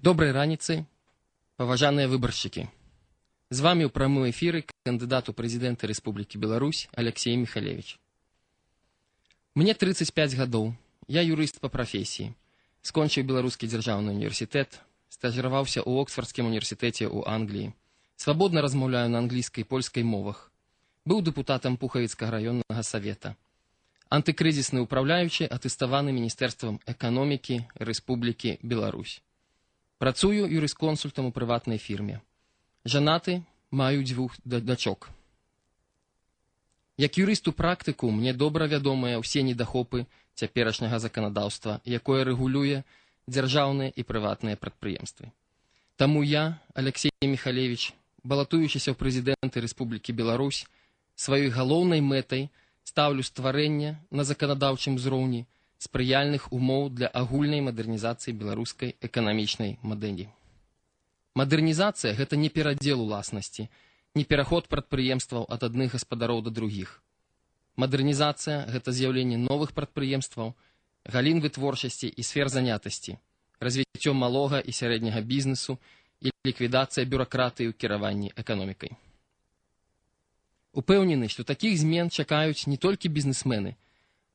Добрай раніцы, паважаныя выбаршчыкі. З вами ў прамым эфіры кандыдат у прэзідэнты Рэспублікі Беларусь Алексей Михалевич. Мне 35 гадоў, я юрыст па прафесіі. Скончыў Беларускі дзяржаўны універсітэт, стажыраваўся ў Оксфордскім універсітэце ў Англіі. Свабодна размаўляю на англійскай і польскай мовах. Быў дэпутатам Пухавіцкага раённага савета. Антыкрызісны ўпраўляючы, атэставаны Міністэрствам эканомікі Рэспублікі Беларусь. Працую юрысконсультам у прыватнай фірме. Жанаты, маю 2 дачок. Як юрыст у практыку мне добра вядомыя ўсе недахопы цяперашняга заканадаўства, якое рэгулюе дзяржаўныя і прыватныя прадпрыемствы. Таму я, Алексей Михалевич, балатуючыся ў прэзідэнты Рэспублікі Беларусь, сваёй галоўнай мэтай стаўлю стварэнне на заканадаўчым узроўні спрыяльных умоў для агульнай мадэрнізацыі беларускай эканамічнай мадэлі. Мадэрнізацыя – гэта не перадзел уласнасці, не пераход прадпрыемстваў ад адных гаспадароў да другіх. Мадэрнізацыя – гэта з'яўленне новых прадпрыемстваў, галін вытворчасці і сфер занятасці, развіццё малога і сярэдняга бізнесу і ліквідацыя бюракратыі ў кіраванні эканомікай. Упэўнены, што такіх змен чакаюць не толькі бізнесмены,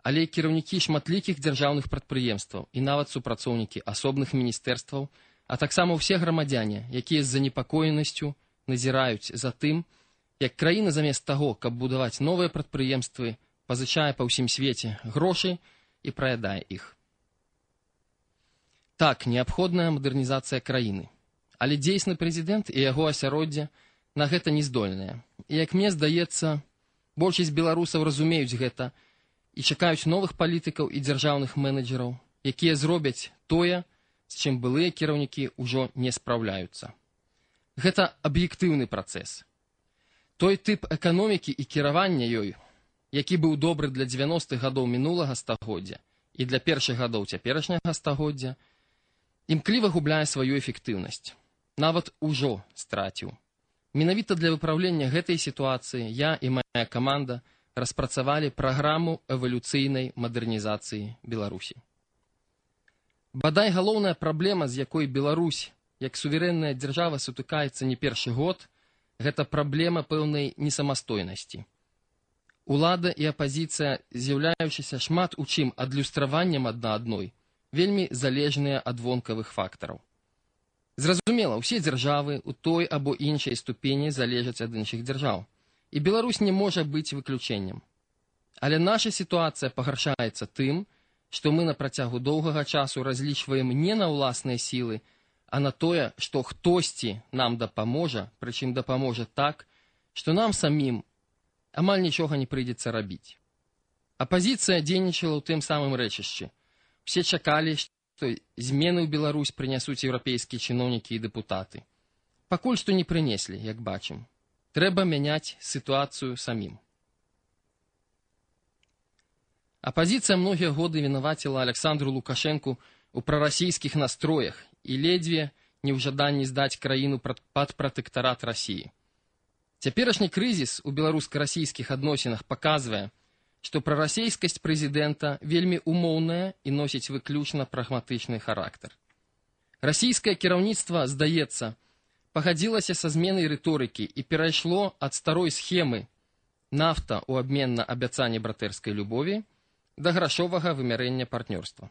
але і кіраўнікі шматлікіх дзяржаўных прадпрыемстваў і нават супрацоўнікі асобных міністэрстваў, а таксама ўсе грамадзяне, якія з занепакоенасцю назіраюць за тым, як краіна замест таго, каб будаваць новыя прадпрыемствы, пазычае па ўсім свеце грошы і праядае іх. Так, неабходная мадэрнізацыя краіны, але дзейсны прэзідэнт і яго асяроддзе на гэта не здольныя. І, як мне здаецца, большасць беларусаў разумеюць гэта і чакаюць новых палітыкаў і дзяржаўных менеджераў, якія зробяць тое, з чым былыя кіраўнікі ўжо не спраўляюцца. Гэта аб'ектыўны працэс. Той тып эканомікі і кіравання ёй, які быў добры для 90-х гадоў мінулага стагоддзя і для першых гадоў цяперашняга стагоддзя, імкліва губляе сваю эфектыўнасць. Нават ужо страціў. Менавіта для выпраўлення гэтай сітуацыі я і мая каманда распрацавалі праграму эвалюцыйнай мадэрнізацыі Беларусі. Бадай галоўная праблема, з якой Беларусь, як суверэнная дзяржава, сутыкаецца не першы год, гэта праблема пэўнай несамастойнасці. Улада і апазіцыя, з'яўляючыся шмат у чым адлюстраваннем адна адной, вельмі залежныя ад вонкавых фактараў. Зразумела, усе дзяржавы ў той або іншай ступені залежаць ад іншых дзяржаў. І Беларусь не можа быць выключэннем. Але наша сітуацыя пагаршаецца тым, што мы на працягу доўгага часу разлічваем не на ўласныя сілы, а на тое, што хтосьці нам дапаможа, прычым дапаможа так, што нам самім амаль нічога не прыйдзецца рабіць. Апазіцыя дзейнічала ў тым самым рэчышчы. Усе чакалі, што змены ў Беларусь прынясуць еўрапейскія чыноўнікі і дэпутаты. Пакуль што не прынеслі, як бачым. Трэба мяняць сітуацыю самім. Апазіцыя многія годы вінаваціла Александру Лукашэнку ў прарасійскіх настроях і ледзьве не ў жаданні здаць краіну пад пратэктарат Расіі. Цяперашні крызіс у беларуска-расійскіх адносінах паказвае, што прарасійскасць прэзідэнта вельмі умоўная і носіць выключна прагматычны характар. Расійскае кіраўніцтва, здаецца, пагадзілася са зменай рыторыкі і перайшло ад старой схемы нафта ў абмен на абяцанне братэрскай любові да грашовага вымярэння партнёрства.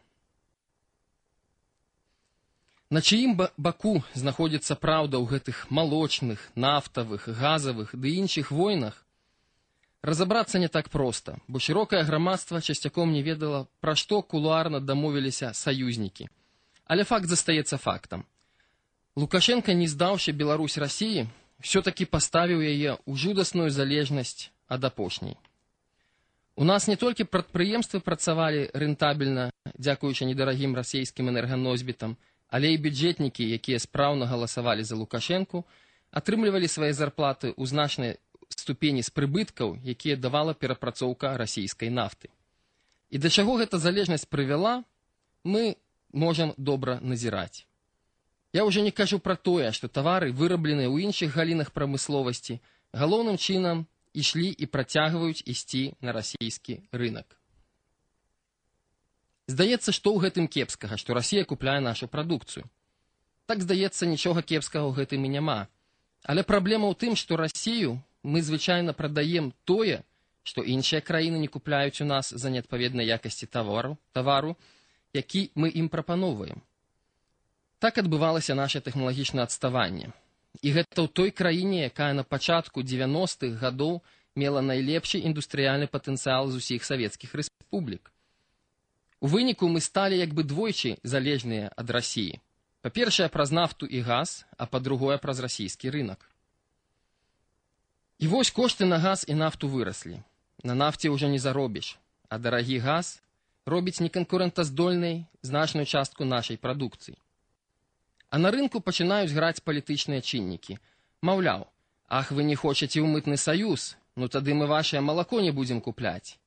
На чыім баку знаходзіцца праўда ў гэтых малочных, нафтавых, газавых ды іншых войнах, разабрацца не так проста, бо шырокае грамадства часцяком не ведала, пра што кулуарна дамовіліся саюзнікі. Але факт застаецца фактам. Лукашенко, не здаўшы Беларусь Расіі, ўсё-такі паставіў яе ў жудасную залежнасць ад апошняй. У нас не толькі прадпрыемствы працавалі рэнтабельна, дзякуючы недарагім расійскім энерганосьбітам, але і бюджэтнікі, якія спраўна галасавалі за Лукашенку, атрымлівалі свае зарплаты ў значнай ступені з прыбыткаў, якія давала перапрацоўка расійскай нафты. І да чаго гэта залежнасць прывяла, мы можам добра назіраць. Я ўжо не кажу пра тое, што тавары, вырабленыя ў іншых галінах прамысловасці, галоўным чынам ішлі і працягваюць ісці на расійскі рынак. Здаецца, што ў гэтым кепскага, што Расія купляе нашу прадукцыю. Так, здаецца, нічога кепскага ў гэтым і няма. Але праблема ў тым, што Расію мы звычайна прадаем тое, што іншыя краіны не купляюць у нас за неадпаведнай якасці тавару, які мы ім прапаноўваем. Так адбывалася наша тэхналагічнае адставанне. І гэта ў той краіне, якая на пачатку 90-х гадоў мела найлепшы індустрыяльны патэнцыял з усіх савецкіх рэспублік. У выніку мы сталі як бы двойчы залежныя ад Расіі. Па-першае, праз нафту і газ, а па-другое, праз расійскі рынок. І вось кошты на газ і нафту выраслі. На нафце ўжо не заробіш, а дарагі газ робіць неканкурэнтаздольнай значную частку нашай прадукцыі. А на рынку пачынаюць граць палітычныя чыннікі. Маўляў, ах, вы не хочаце ў мытны саюз, ну тады мы вашае малако не будзем купляць.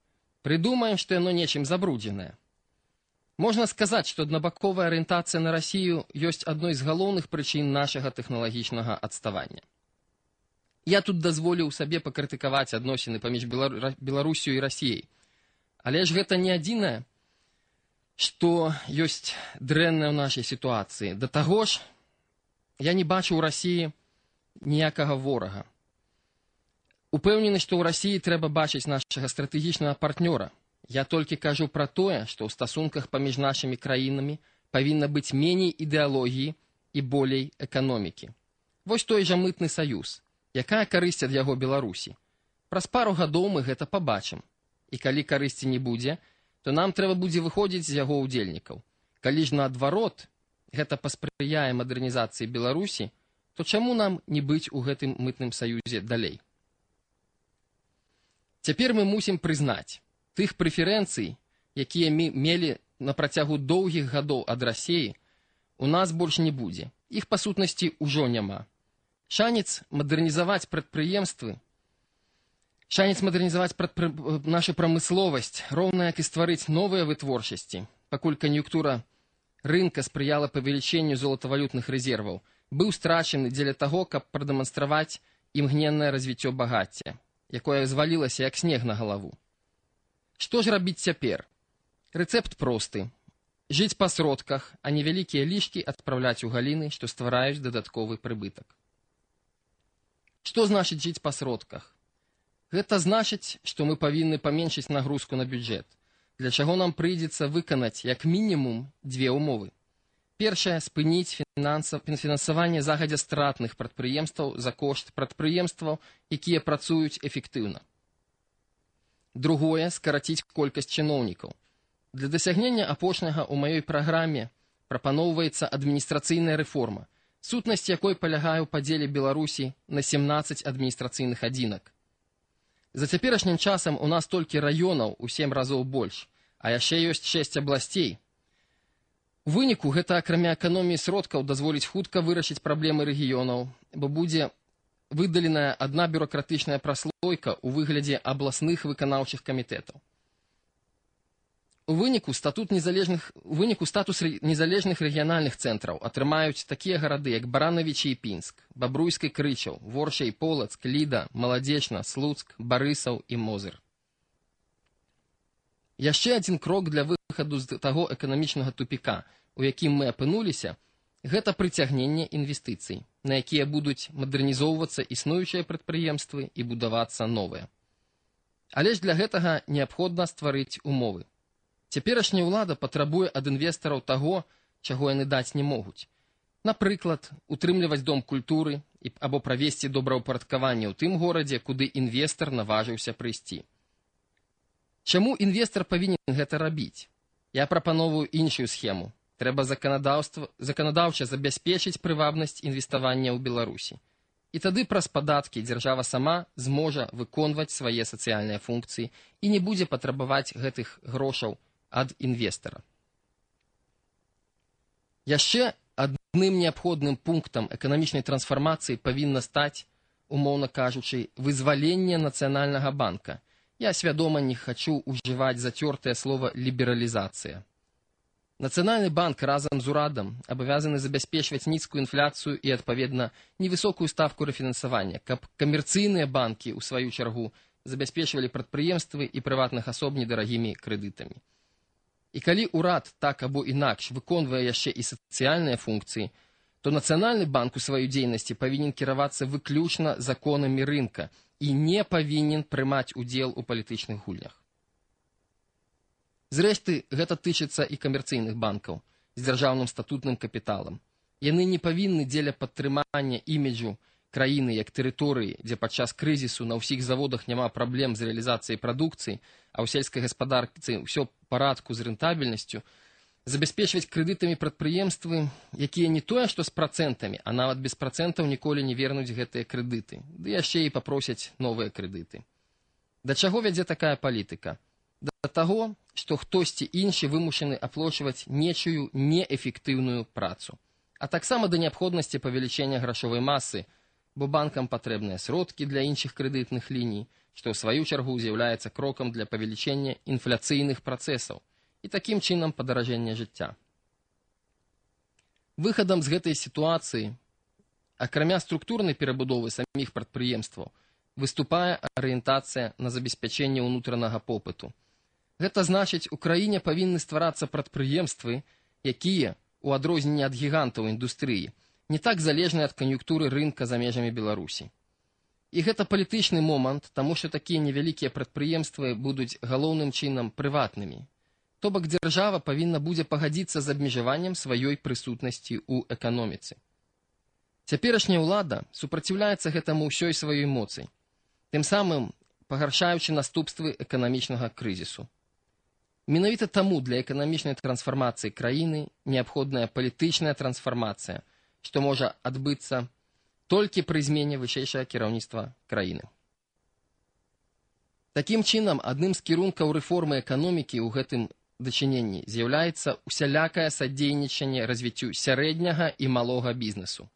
Прыдумаем, што яно нечым забруджанае. Можна сказаць, што аднабаковая арыентацыя на Расію ёсць адной з галоўных прычын нашага тэхналагічнага адставання. Я тут дазволіў сабе пакрытыкаваць адносіны паміж Беларусію і Расіяй. Але ж гэта не адзінае, што ёсць дрэннае ў нашай сітуацыі. Да таго ж, я не бачу ў Расіі ніякага ворага. Упэўнены, што ў Расіі трэба бачыць нашага стратэгічнага партнёра. Я толькі кажу пра тое, што ў стасунках паміж нашымі краінамі павінна быць меней ідэалогіі і болей эканомікі. Вось той жа мытны саюз. Якая карысць ад яго Беларусі? Праз пару гадоў мы гэта пабачым. І калі карысці не будзе, то нам трэба будзе выходзіць з яго ўдзельнікаў. Калі ж наадварот, гэта паспрыяе мадэрнізацыі Беларусі, то чаму нам не быць у гэтым мытным саюзе далей? Цяпер мы мусім прызнаць, тых прэферэнцый, якія мы мелі на працягу доўгіх гадоў ад Расіі, у нас больш не будзе. Іх, па сутнасці, ужо няма. Шанец мадэрнізаваць нашу прамысловасць, роўна як і стварыць новыя вытворчасці, пакуль кан'юнктура рынка спрыяла павелічэнню золатавалютных рэзерваў, быў страчаны дзеля таго, каб прадэманстраваць імгненнае развіццё багацця, якое звалілася як снег на галаву. Што ж рабіць цяпер? Рэцэпт просты. Жыць па сродках, а невялікія лішкі адпраўляць у галіны, што ствараюць дадатковы прыбытак. Што значыць жыць па сродках? Гэта значыць, што мы павінны паменшыць нагрузку на бюджэт, для чаго нам прыйдзецца выканаць як мінімум дзве ўмовы. Першае – спыніць фінансаванне загадзя стратных прадпрыемстваў за кошт прадпрыемстваў, якія працуюць эфектыўна. Другое – скараціць колькасць чыноўнікаў. Для дасягнення апошняга ў маёй праграме прапаноўваецца адміністрацыйная рэформа, сутнасць якой палягае ў падзеле Беларусі на 17 адміністрацыйных адзінак. За цяперашнім часам у нас толькі раёнаў у 7 разоў больш, а яшчэ ёсць 6 абласцей. У выніку гэта акрамя эканоміі сродкаў дазволіць хутка вырашыць праблемы рэгіёнаў, бо будзе выдаленая адна бюракратычная праслойка ў выглядзе абласных выканаўчых камітэтаў. У выніку статус незалежных рэгіянальных цэнтраў атрымаюць такія гарады, як Баранавічы і Пінск, Бабруйск і Крычаў, Ворша і Полацк, Ліда, Маладзечна, Слуцк, Барысаў і Мозыр. Яшчэ адзін крок для выхаду з таго эканамічнага тупіка, у якім мы апынуліся, гэта прыцягненне інвестыцый, на якія будуць мадэрнізоўвацца існуючыя прадпрыемствы і будавацца новыя. Але ж для гэтага неабходна стварыць умовы. Цяперашняя ўлада патрабуе ад інвестараў таго, чаго яны даць не могуць. Напрыклад, утрымліваць дом культуры або правесці добраўпарадкаванне ў тым горадзе, куды інвестар наважыўся прыйсці. Чаму інвестар павінен гэта рабіць? Я прапановую іншую схему. Трэба заканадаўча забяспечыць прывабнасць інвеставання ў Беларусі. І тады праз падаткі дзяржава сама зможа выконваць свае сацыяльныя функцыі і не будзе патрабаваць гэтых грошаў ад інвестара. Яшчэ адным неабходным пунктам эканамічнай трансфармацыі павінна стаць, умоўна кажучы, вызваленне Нацыянальнага банка. Я свядома не хачу ўжываць зацёртае слова «лібералізацыя». Нацыянальны банк разам з урадам абавязаны забяспечваць нізкую інфляцыю і, адпаведна, невысокую ставку рэфінансавання, каб камерцыйныя банкі, у сваю чаргу, забяспечвалі прадпрыемствы і прыватных асоб недарагімі крэдытамі. І калі ўрад так або інакш выконвае яшчэ і сацыяльныя функцыі, то Нацыянальны банк у сваёй дзейнасці павінен кіравацца выключна законамі рынка і не павінен прымаць удзел у палітычных гульнях. Зрэшты, гэта тычыцца і камерцыйных банкаў з дзяржаўным статутным капіталам. Яны не павінны дзеля падтрымання іміджу краіны як тэрыторыі, дзе падчас крызісу на ўсіх заводах няма праблем з рэалізацыяй прадукцыі, а ў сельскай гаспадарцы ўсё ў парадку з рэнтабельнасцю, забяспечваць крэдытамі прадпрыемствы, якія не тое, што з працэнтамі, а нават без працэнтаў ніколі не вернуць гэтыя крэдыты, ды яшчэ і папросяць новыя крэдыты. Да чаго вядзе такая палітыка? Да таго, што хтосьці іншы вымушаны аплачваць нечую неэфектыўную працу, а таксама да неабходнасці павелічэння грашовай масы, бо банкам патрэбныя сродкі для іншых крэдытных ліній, што ў сваю чаргу з'яўляецца крокам для павелічэння інфляцыйных працэсаў і такім чынам падаражэння жыцця. Выхадам з гэтай сітуацыі, акрамя структурнай перабудовы саміх прадпрыемстваў, выступае арыентацыя на забеспячэнне ўнутранага попыту. Гэта значыць, у краіне павінны стварацца прадпрыемствы, якія, у адрозненне ад гігантаў індустрыі, не так залежны ад кан'юнктуры рынка за межамі Беларусі. І гэта палітычны момант, таму што такія невялікія прадпрыемствы будуць галоўным чынам прыватнымі. То бок дзяржава павінна будзе пагадзіцца з абмежаваннем сваёй прысутнасці ў эканоміцы. Цяперашняя ўлада супраціўляецца гэтаму ўсёй сваёй моцай, тым самым пагаршаючы наступствы эканамічнага крызісу. Менавіта таму для эканамічнай трансфармацыі краіны неабходная палітычная трансфармацыя, што можа адбыцца толькі пры змене вышэйшага кіраўніцтва краіны. Такім чынам, адным з кірункаў рэформы эканомікі ў гэтым дачыненні з'яўляецца усялякае садзейнічанне развіццю сярэдняга і малога бізнесу.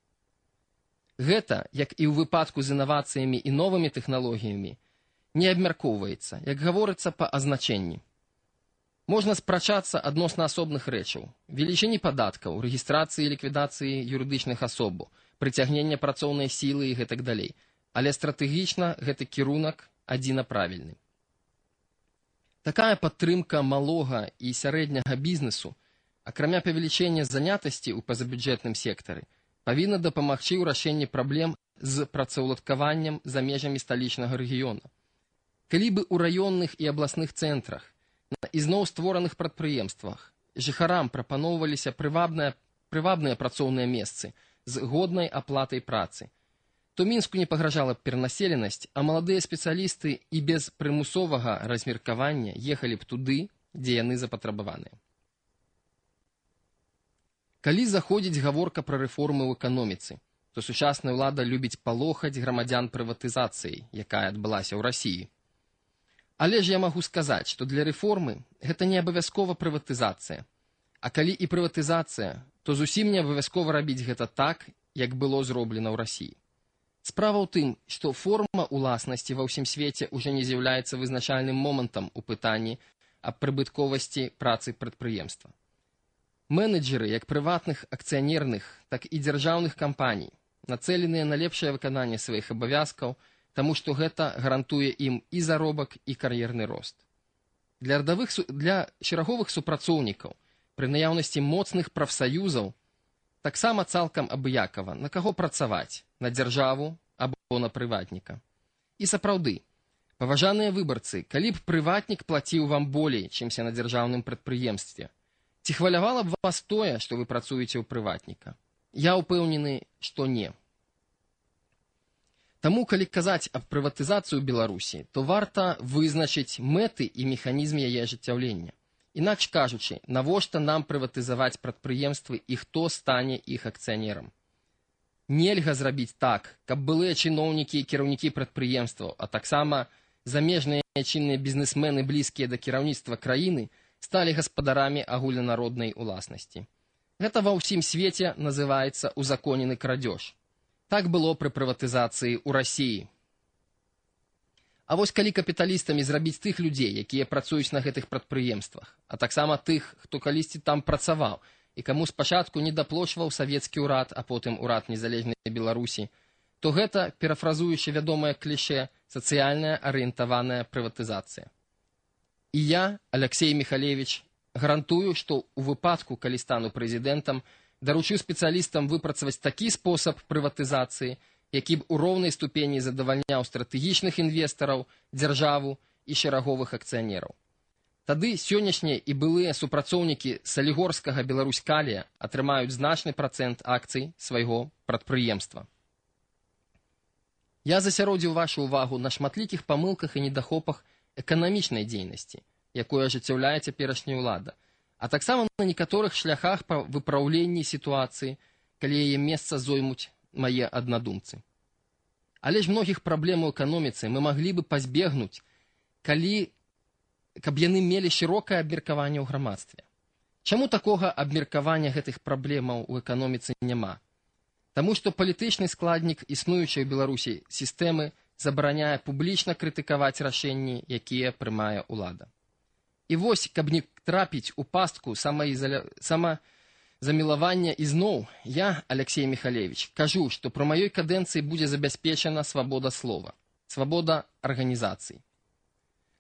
Гэта, як і ў выпадку з інавацыямі і новымі тэхналогіямі, не абмяркоўваецца, як гаворыцца па азначэнні. Можна спрачацца адносна асобных рэчаў, велічыні падаткаў, рэгістрацыі і ліквідацыі юрыдычных асобаў, прыцягнення працоўнай сілы і гэтак далей, але стратэгічна гэты кірунак адзінаправільны. Такая падтрымка малога і сярэдняга бізнесу, акрамя павелічэння занятасці ў пазабюджэтным сектары, павінна дапамагчы ў рашэнні праблем з працаўладкаваннем за межамі сталічнага рэгіёна. Калі бы ў раённых і абласных цэнтрах на ізноў створаных прадпрыемствах жыхарам прапаноўваліся прывабныя працоўныя месцы з годнай аплатай працы, то Мінску не пагражала б перанаселенасць, а маладыя спецыялісты і без прымусовага размеркавання ехалі б туды, дзе яны запатрабаваныя. Калі заходзіць гаворка пра рэформы ў эканоміцы, то сучасная ўлада любіць палохаць грамадзян прыватызацыяй, якая адбылася ў Расіі. Але ж я магу сказаць, што для рэформы гэта не абавязкова прыватызацыя. А калі і прыватызацыя, то зусім не абавязкова рабіць гэта так, як было зроблена ў Расіі. Справа ў тым, што форма ўласнасці ва ўсім свеце ўжо не з'яўляецца вызначальным момантам у пытанні аб прыбытковасці працы прадпрыемства. Менеджеры як прыватных акцыянерных, так і дзяржаўных кампаній нацэленыя на лепшае выкананне сваіх абавязкаў, таму што гэта гарантуе ім і заробак, і кар'ерны рост. Для шэраговых супрацоўнікаў пры наяўнасці моцных прафсаюзаў таксама цалкам абыякава, на каго працаваць, на дзяржаву або на прыватніка. І сапраўды, паважаныя выбарцы, калі б прыватнік плаціў вам болей, чымся на дзяржаўным прадпрыемстве, ці хвалявала б вас тое, што вы працуеце ў прыватніка? Я ўпэўнены, што не. Таму, калі казаць аб прыватызацыі ў Беларусі, то варта вызначыць мэты і механізм яе ажыццяўлення. Інакш кажучы, навошта нам прыватызаваць прадпрыемствы і хто стане іх акцыянерам? Нельга зрабіць так, каб былыя чыноўнікі і кіраўнікі прадпрыемстваў, а таксама замежныя чынныя бізнесмены, блізкія да кіраўніцтва краіны, сталі гаспадарамі агульнанароднай уласнасці. Гэта ва ўсім свеце называецца узаконены крадзеж. Так было пры прыватызацыі ў Расіі. А вось калі капіталістамі зрабіць тых людзей, якія працуюць на гэтых прадпрыемствах, а таксама тых, хто калісьці там працаваў і каму спачатку не даплочваў савецкі ўрад, а потым урад незалежнай Беларусі, то гэта, перафразуючы вядомае клішэ, сацыяльная арыентаваная прыватызацыя. І я, Аляксей Міхалевіч, гарантую, што ў выпадку, калі стану прэзідэнтам, Даручу спецыялістам выпрацаваць такі спосаб прыватызацыі, які б у роўнай ступені задавальняў стратэгічных інвестараў, дзяржаву і шераговых акцыянераў. Тады сённяшнія і былыя супрацоўнікі салігорскага Беларусь-Калія атрымаюць значны працэнт акцый свайго прадпрыемства. Я засяродзіў вашу ўвагу на шматлікіх памылках і недахопах эканамічнай дзейнасці, якую ажыццяўляе цяперашняя ўлада, а таксама на некаторых шляхах па выпраўленні сітуацыі, калі яе месца зоймуць мае аднадумцы. Але ж многіх праблем у эканоміцы мы маглі бы пазбегнуць, каб яны мелі шырокае абмеркаванне ў грамадстве. Чаму такога абмеркавання гэтых праблемаў у эканоміцы няма? Таму што палітычны складнік існуючай у Беларусі сістэмы забараняе публічна крытыкаваць рашэнні, якія прымае ўлада. І вось, каб не трапіць у пастку самазамілавання ізноў, я, Алексей Михалевич, кажу, што пры маёй кадэнцыі будзе забяспечана свабода слова, свабода арганізацый.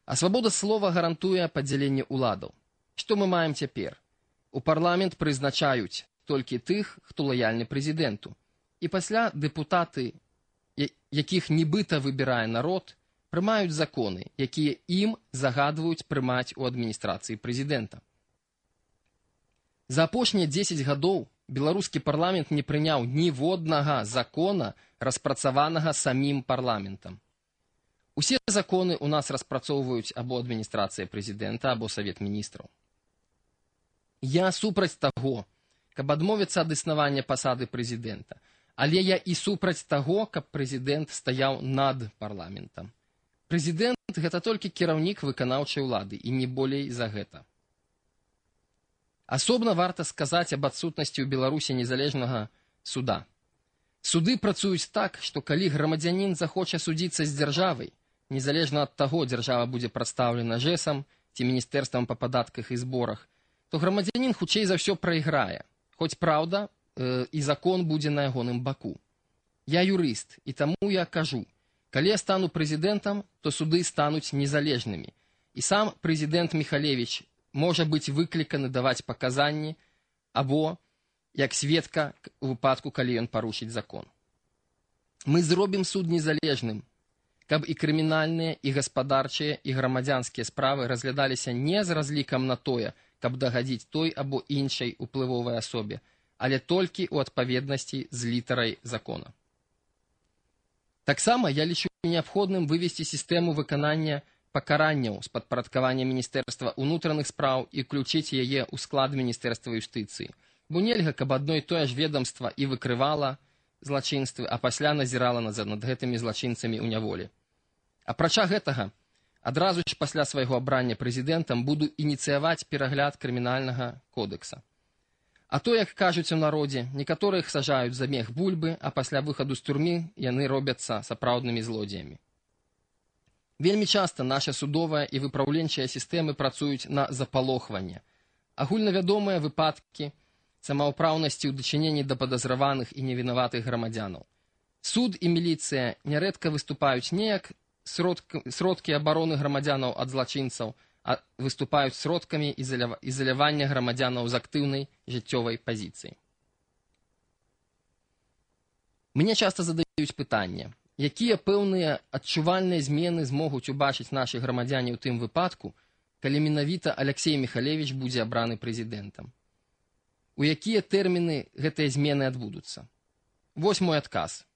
А свабода слова гарантуе падзяленне ўладаў. Што мы маем цяпер? У парламент прызначаюць толькі тых, хто лаяльны прэзідэнту. І пасля дэпутаты, якіх нібыта выбірае народ, прымаюць законы, якія ім загадваюць прымаць у адміністрацыі прэзідэнта. За апошнія 10 гадоў беларускі парламент не прыняў ніводнага закона, распрацаванага самім парламентам. Усе законы у нас распрацоўваюць або адміністрацыя прэзідэнта, або Савет міністраў. Я супраць таго, каб адмовіцца ад існавання пасады прэзідэнта, але я і супраць таго, каб прэзідэнт стаяў над парламентам. Прэзідэнт – гэта толькі кіраўнік выканаўчай улады, і не болей за гэта. Асобна варта сказаць аб адсутнасці ў Беларусі незалежнага суда. Суды працуюць так, што калі грамадзянін захоча судзіцца з дзяржавай, незалежна ад таго, дзяржава будзе прадстаўлена ЖЭСам ці міністэрствам па падатках і зборах, то грамадзянін хутчэй за ўсё прайграе, хоць праўда, і закон будзе на ягоным баку. Я юрыст, і таму я кажу, калі я стану прэзідэнтам, то суды стануць незалежнымі, і сам прэзідэнт Михалевич можа быць выкліканы даваць паказанні або як сведка у выпадку, калі ён парушыць закон. Мы зробім суд незалежным, каб і крымінальныя, і гаспадарчыя, і грамадзянскія справы разглядаліся не з разлікам на тое, каб дагадзіць той або іншай уплывовай асобе, але толькі ў адпаведнасці з літарай закона. Таксама я лічу неабходным вывесці сістэму выканання пакаранняў з падпарадкавання Міністэрства ўнутраных спраў і ўключыць яе ў склад Міністэрства юстыцыі, бо нельга, каб адно і тое ж ведомства і выкрывала злачынствы, а пасля назірала над гэтымі злачынцамі ў няволі. Апрача гэтага, адразу ж пасля свайго абрання прэзідэнтам буду ініцыяваць перагляд крымінальнага кодекса. А то, як кажуць у народзе, некаторых сажаюць за мех бульбы, а пасля выхаду з турмы яны робяцца сапраўднымі злодзеямі. Вельмі часта наша судовая і выпраўленчая сістэмы працуюць на запалохванне. Агульнавядомыя выпадкі самаўпраўнасці ў дачыненні да падазраваных і невінаватых грамадзянаў. Суд і міліцыя нярэдка выступаюць не як сродкі абароны грамадзянаў ад злачынцаў, а выступаюць сродкамі ізалявання грамадзянаў з актыўнай жыццёвай пазіцыі. Мне часта задаюць пытанне, якія пэўныя адчувальныя змены змогуць убачыць нашы грамадзяне ў тым выпадку, калі менавіта Алексей Михалевич будзе абраны прэзідэнтам. У якія тэрміны гэтыя змены адбудуцца? Вось мой адказ.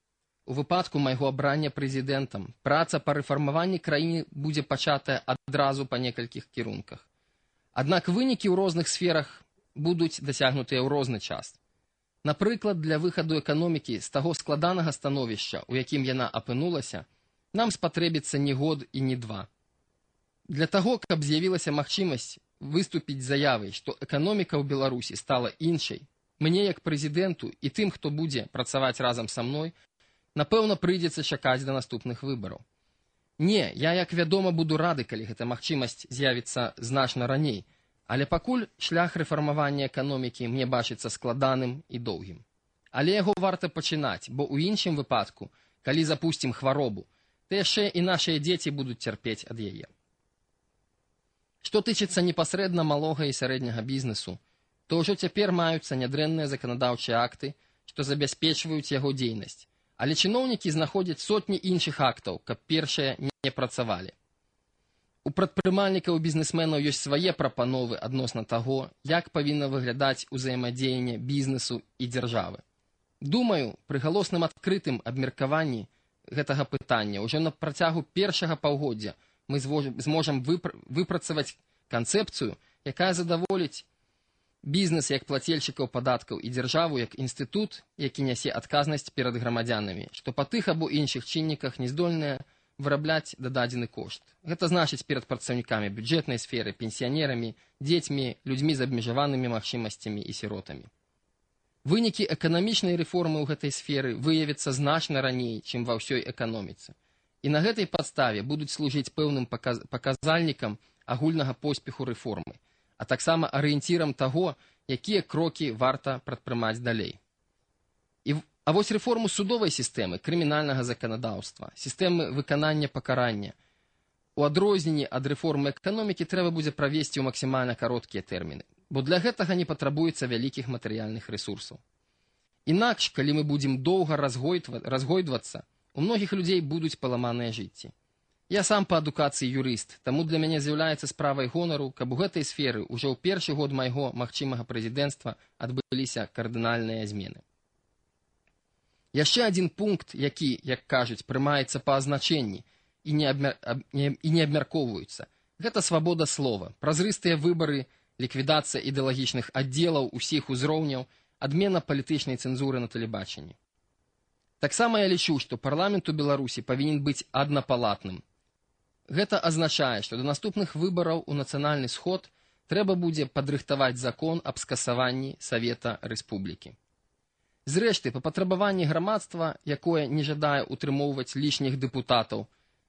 У выпадку майго абрання прэзідэнтам праца па рэфармаванні краіны будзе пачатая адразу па некалькіх кірунках. Аднак вынікі ў розных сферах будуць дасягнутыя ў розны час. Напрыклад, для выхаду эканомікі з таго складанага становішча, у якім яна апынулася, нам спатрэбіцца не год і не два. Для таго, каб з'явілася магчымасць выступіць з заявай, што эканоміка ў Беларусі стала іншай, мне як прэзідэнту і тым, хто будзе працаваць разам са мной, напэўна, прыйдзецца чакаць да наступных выбараў. Не, я, як вядома, буду рады, калі гэта магчымасць з'явіцца значна раней, але пакуль шлях рэфармавання эканомікі мне бачыцца складаным і доўгім. Але яго варта пачынаць, бо ў іншым выпадку, калі запусцім хваробу, то яшчэ і нашыя дзеці будуць цярпець ад яе. Што тычыцца непасрэдна малога і сярэдняга бізнесу, то ўжо цяпер маюцца нядрэнныя заканадаўчыя акты, што забяспечваюць яго дзейнасць. Але чыноўнікі знаходзяць сотні іншых актаў, каб першыя не працавалі. У прадпрымальнікаў і бізнесменаў ёсць свае прапановы адносна таго, як павінна выглядаць узаемадзеянне бізнесу і дзяржавы. Думаю, пры галосным адкрытым абмеркаванні гэтага пытання ўжо на працягу першага паўгоддзя мы зможам выпрацаваць канцэпцыю, якая задаволіць бізнес як плацельшчыкаў падаткаў і дзяржаву як інстытут, які нясе адказнасць перад грамадзянамі, што па тых або іншых чынніках не здольныя вырабляць дададзены кошт. Гэта значыць перад працаўнікамі бюджэтнай сферы, пенсіянерамі, дзецьмі, людзьмі з абмежаванымі магчымасцямі і сіротамі. Вынікі эканамічнай рэформы ў гэтай сферы выявяцца значна раней, чым ва ўсёй эканоміцы. І на гэтай падставе будуць служыць пэўным паказальнікам агульнага поспеху рэформы, а таксама арыенцірам таго, якія крокі варта прадпрымаць далей. А вось рэформу судовай сістэмы, крымінальнага заканадаўства, сістэмы выканання пакарання, у адрозненні ад рэформы эканомікі трэба будзе правесці ў максімальна кароткія тэрміны, бо для гэтага не патрабуецца вялікіх матэрыяльных рэсурсаў. Інакш, калі мы будзем доўга разгойдвацца, у многіх людзей будуць паламаныя жыцці. Я сам па адукацыі юрыст, таму для мяне з'яўляецца справай гонару, каб у гэтай сферы ўжо ў першы год майго магчымага прэзідэнцтва адбыліся кардынальныя змены. Яшчэ адзін пункт, які, як кажуць, прымаецца па азначэнні і не абмяркоўваюцца. Гэта свабода слова, празрыстыя выбары, ліквідацыя ідэалагічных аддзелаў усіх узроўняў, адмена палітычнай цэнзуры на тэлебачанні. Таксама я лічу, што парламент у Беларусі павінен быць аднапалатным. Гэта азначае, што да наступных выбараў у нацыянальны сход трэба будзе падрыхтаваць закон аб скасаванні Савета Рэспублікі. Зрэшты, па патрабаванні грамадства, якое не жадае утрымоўваць лішніх дэпутатаў,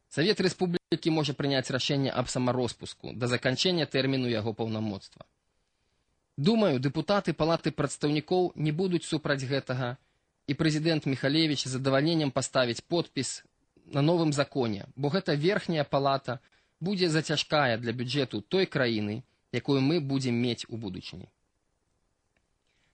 Савет Рэспублікі можа прыняць рашэнне аб самароспуску да заканчэння тэрміну яго паўнамоцтва. Думаю, дэпутаты Палаты прадстаўнікоў не будуць супраць гэтага, і прэзідэнт Міхалевіч з задавальненнем паставіць подпіс на новым законе, бо гэта верхняя палата будзе зацяжкая для бюджэту той краіны, якую мы будзем мець у будучыні.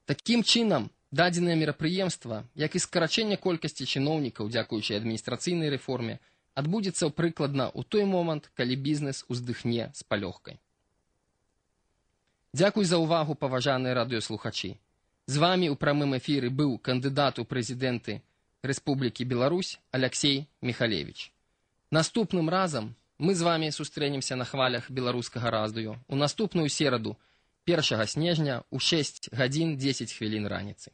Такім чынам, дадзенае мерапрыемства, як і скарачэнне колькасці чыноўнікаў, дзякуючы адміністрацыйнай рэформе, адбудзецца прыкладна ў той момант, калі бізнес уздыхне з палёгкай. Дзякуй за ўвагу, паважаныя радыёслухачы. З вамі ў прамым эфіры быў кандыдат у прэзідэнты Рэспублікі Беларусь Аляксей Міхалевіч. Наступным разам мы з вамі сустрэнемся на хвалях беларускага радыё у наступную сераду 1 снежня у 6 гадзін 10 хвілін раніцы.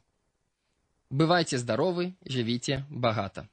Бывайце здаровы, жывіце багата.